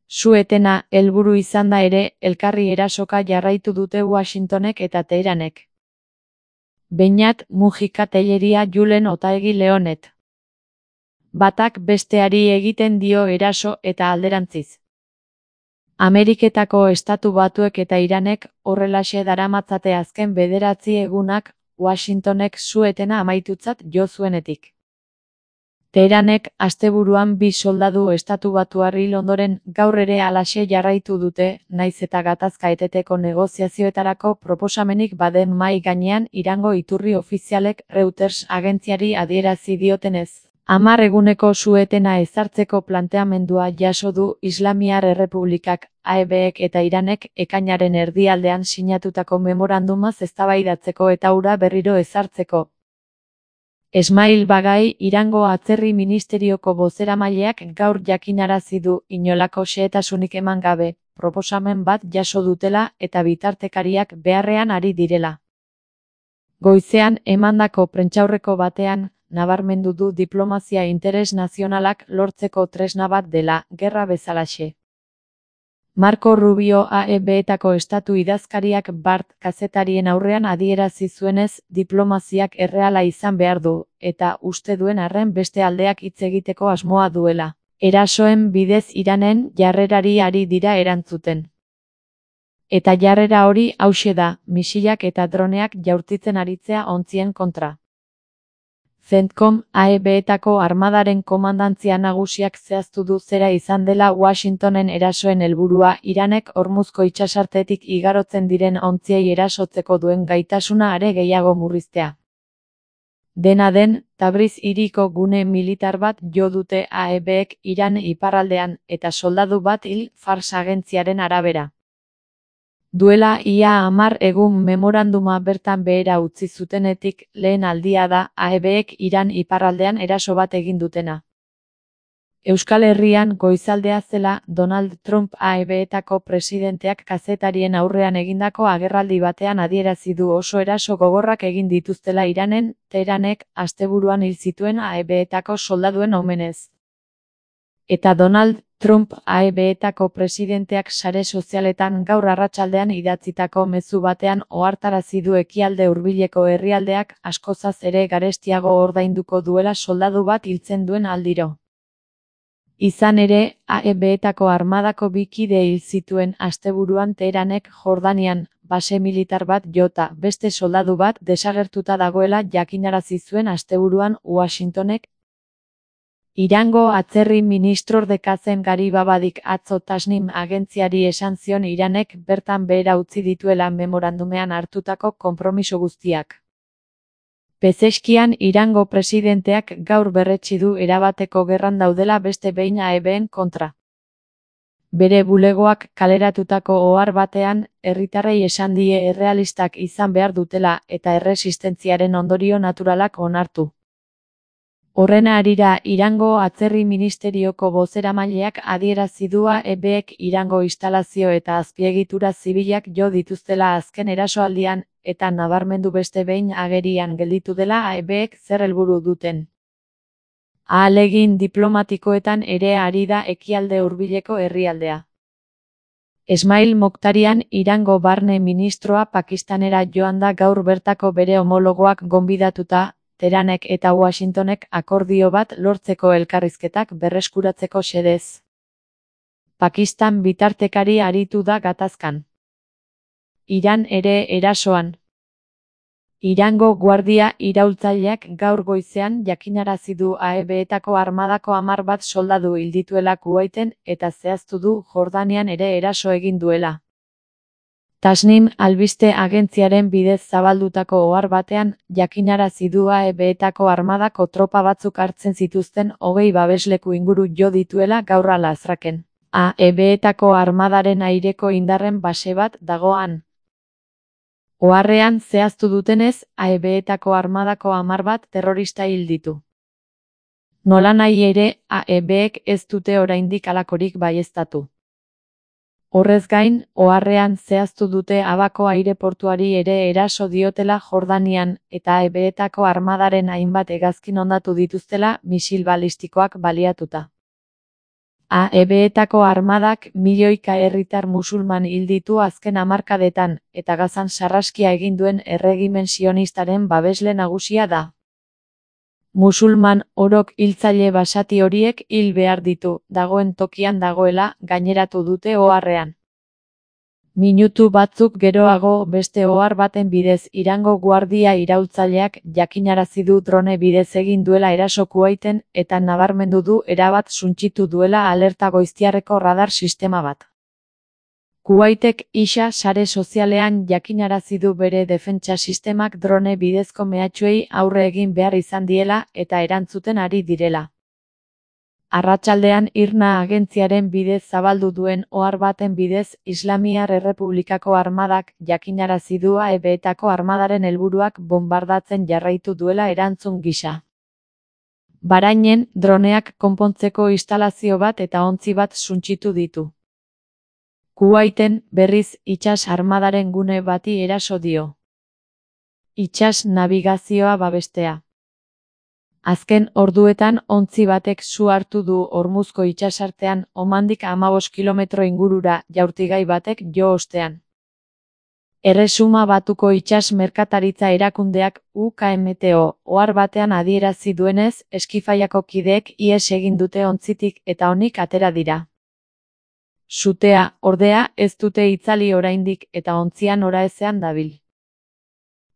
Su-etena helburu izanda ere, elkarri erasoka jarraitu dute Washingtonek eta Teheranek. Beñat Mujika Telleria Julen Otaegi Leonet. Batak besteari egiten dio eraso eta alderantziz. Ameriketako Estatu Batuek eta Iranek horrelaxe daramatzate azken 9 egunak Washingtonek su-etena amaitutzat jo zuenetik. Teheranek asteburuan 2 soldadu estatubatuar hil ondoren gaur ere halaxe jarraitu dute, nahiz eta gatazka eteteko negoziazioetarako proposamenik baden mahai gainean Irango iturri ofizialek Reuters agentziari adierazi diotenez. 10 eguneko su-etena ezartzeko planteamendua jaso du Islamiar Errepublikak, AEBek eta Iranek ekainaren erdialdean sinatutako memorandumaz eztabaidatzeko eta hura berriro ezartzeko. Esmail Bagai, Irango Atzerri Ministerioko bozeramaileak gaur jakinarazi du inolako xehetasunik eman gabe, proposamen bat jaso dutela eta bitartekariak beharrean ari direla. Goizean emandako prentsaurreko batean, nabarmendu du diplomazia interes nazionalak lortzeko tresna bat dela, gerra bezalaxe. Marco Rubio AEBetako estatu idazkariak bart kazetarien aurrean adierazi zuenez, diplomaziak erreala izan behar du, eta uste duen arren beste aldeak hitz egiteko asmoa duela. Erasoen bidez Iranen jarrerari ari dira erantzuten. Eta jarrera hori hauxe da, misilak eta droneak jaurtitzen aritzea ontzien kontra. CENTCOM, AEBetako armadaren komandantzia nagusiak zehaztu du zera izan dela Washingtonen erasoen helburua Iranek Hormuzko itsasartetik igarotzen diren ontziei erasotzeko duen gaitasuna are gehiago murriztea. Dena den, Tabriz hiriko gune militar bat jo dute AEBek Iran iparraldean eta soldadu bat hil Fars agentziaren arabera. Duela ia 10 egun memoranduma bertan behera utzi zutenetik lehen aldia da AEBek Iran iparraldean eraso bat egin dutena. Euskal Herrian goizaldea zela Donald Trump AEBetako presidenteak kazetarien aurrean egindako agerraldi batean adierazi du oso eraso gogorrak egin dituztela Iranen, Teheranek asteburuan hil zituen AEBetako soldaduen omenez. Eta Donald Trump AEBetako presidenteak sare sozialetan gaur arratsaldean idatzitako mezu batean ohartarazi du ekialde hurbileko herrialdeak askozaz ere garestiago ordainduko duela soldadu bat hiltzen duen aldiro. Izan ere, AEBetako armadako 2 kide hil zituen asteburuan Teheranek Jordanian, base militar bat jota, beste soldadu bat desagertuta dagoela jakinarazi zuen asteburuan Washingtonek. Irango atzerri ministrorde Kazem Garibabadik atzo Tasnim agentziari esan zion Iranek bertan behera utzi dituela memorandumean hartutako konpromiso guztiak. Pezeskian Irango presidenteak gaur berretsi du erabateko gerran daudela beste behin AEBen kontra. Bere bulegoak kaleratutako ohar batean, herritarrei esan die errealistak izan behar dutela eta erresistentziaren ondorio naturalak onartu. Horren harira Irango Atzerri Ministerioko bozeramaileak adierazi du AEBek Irango instalazio eta azpiegitura zibilak jo dituztela azken erasoaldian, eta nabarmendu beste behin agerian gelditu dela AEBek zer helburu duten. Ahalegin diplomatikoetan ere ari da ekialde hurbileko herrialdea. Esmail Moktarian Irango barne ministroa Pakistanera joan da gaur bertako bere homologoak gonbidatuta, Teheranek eta Washingtonek akordio bat lortzeko elkarrizketak berreskuratzeko xedez. Pakistan bitartekari aritu da gatazkan. Iran ere erasoan. Irango guardia iraultzaileak gaur goizean jakinarazi du AEBetako armadako 10 bat soldadu hil dituela Kuwaiten eta zehaztu du Jordanian ere eraso egin duela. Tasnim albiste agentziaren bidez zabaldutako ohar batean, jakinarazi du AEBetako armadako tropa batzuk hartzen zituzten 20 babesleku inguru jo dituela gaur alazraken. AEBetako armadaren aireko indarren base bat dagoan. Oharrean zehaztu dutenez, AEBetako armadako 10 bat terrorista hil ditu. Nolanahi ere, AEBek ez dute oraindik halakorik baieztatu. Horrez gain, oharrean zehaztu dute Abako aireportuari ere eraso diotela Jordanian eta AEBetako armadaren hainbat hegazkin hondatu dituztela misil balistikoak baliatuta. AEB-etako armadak milioika herritar musulman hil ditu azken hamarkadetan, eta Gazan sarraskia egin duen erregimen sionistaren babesle nagusia da. Musulman orok hiltzaile basati horiek hil behar ditu, dagoen tokian dagoela, gaineratu dute oharrean. Minutu batzuk geroago beste ohar baten bidez Irango guardia iraultzaileak jakinarazi du drone bidez egin duela eraso Kuwaiten eta nabarmendu du erabat suntsitu duela alerta goiztiarreko radar sistema bat. Kuwaitek Isha sare sozialean jakinarazi du bere defentsa sistemak drone bidezko mehatxuei aurre egin behar izan diela eta erantzuten ari direla. Arratsaldean IRNA agentziaren bidez zabaldu duen ohar baten bidez Islamiar Errepublikako armadak jakinarazi du AEB-etako armadaren helburuak bonbardatzen jarraitu duela erantzun gisa. Bahrainen, droneak konpontzeko instalazio bat eta ontzi bat suntsitu ditu. Kuwaiten, berriz, itsas armadaren gune bati eraso dio. Itsas nabigazioa babestea. Azken orduetan ontzi batek su hartu du Hormuzko itsasartean Omandik 15 kilometro ingurura jaurtigai batek jo ostean. Erresuma Batuko itsas merkataritza erakundeak UKMTO ohar batean adierazi duenez, Eskifaiako kideek ihes egin dute ontzitik eta onik atera dira. Sutea, ordea, ez dute itzali oraindik eta ontzian oraezean dabil.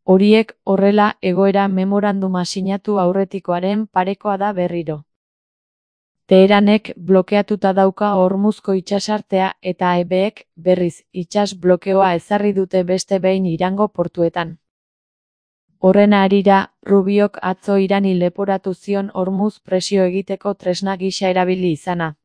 Horiek horrela egoera memoranduma sinatu aurretikoaren parekoa da berriro. Teheranek blokeatuta dauka Hormuzko itsasartea eta AEB-ek berriz itsas blokeoa ezarri dute beste behin Irango portuetan. Horren harira, Rubiok atzo Irani leporatu zion Hormuz presio egiteko tresna gisa erabili izana.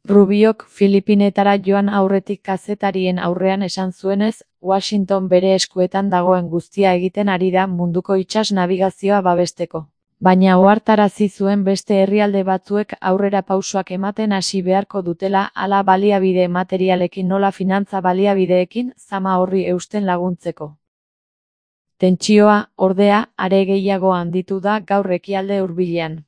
Rubiok Filipinetara joan aurretik kazetarien aurrean esan zuenez, Washington bere eskuetan dagoen guztia egiten ari da munduko itsas nabigazioa babesteko. Baina ohartarazi zuen beste herrialde batzuek aurrera pausoak ematen hasi beharko dutela hala baliabide materialekin nola finantza baliabideekin zama horri eusten laguntzeko. Tentsioa, ordea, are gehiago handitu da gaur ekialde hurbilean.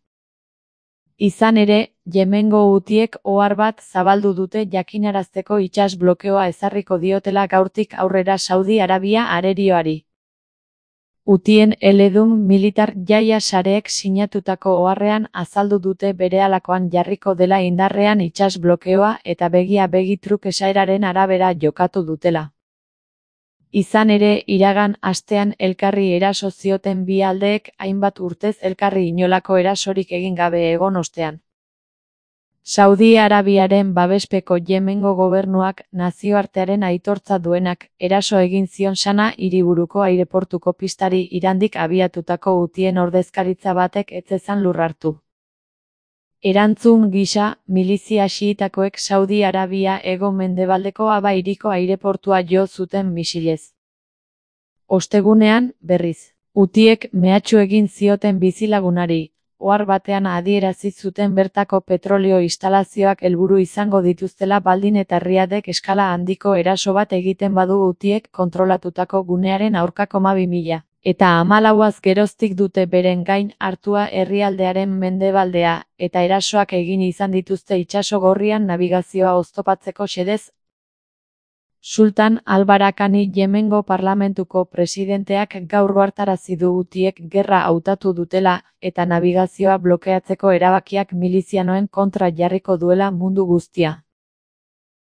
Izan ere, Yemengo Hutiek ohar bat zabaldu dute jakinarazteko itsas blokeoa ezarriko diotela gaurtik aurrera Saudi Arabia arerioari. Hutien eledun militar jaia sareek sinatutako oharrean azaldu dute berehalakoan jarriko dela indarrean itsas blokeoa eta begia-begi truk esaeraren arabera jokatu dutela. Izan ere, iragan astean elkarri eraso zioten bi aldeek hainbat urtez elkarri inolako erasorik egin gabe egon ostean. Saudi Arabiaren babespeko Yemengo gobernuak nazioartearen aitortza duenak eraso egin zion Sana hiriburuko aireportuko pistari Irandik abiatutako Hutien ordezkaritza batek ez zezan lur hartu. Erantzun gisa, milizia xiitakoek Saudi Arabia hego-mendebaldeko Aba hiriko aireportua jo zuten misilez. Ostegunean, berriz, Hutiek mehatxu egin zioten bizilagunari, ohar batean adierazi zuten bertako petrolio instalazioak helburu izango dituztela baldin eta Riadek eskala handiko eraso bat egiten badu Hutiek kontrolatutako gunearen aurkako 2000. Eta 14 geroztik dute beren gain hartua herrialdearen mendebaldea, eta erasoak egin izan dituzte itsaso gorrian nabigazioa oztopatzeko xedez. Sultan al-Barakani Yemengo parlamentuko presidenteak gaur ohartarazi du Hutiek gerra hautatu dutela, eta nabigazioa blokeatzeko erabakiak milizianoen kontra jarriko duela mundu guztia.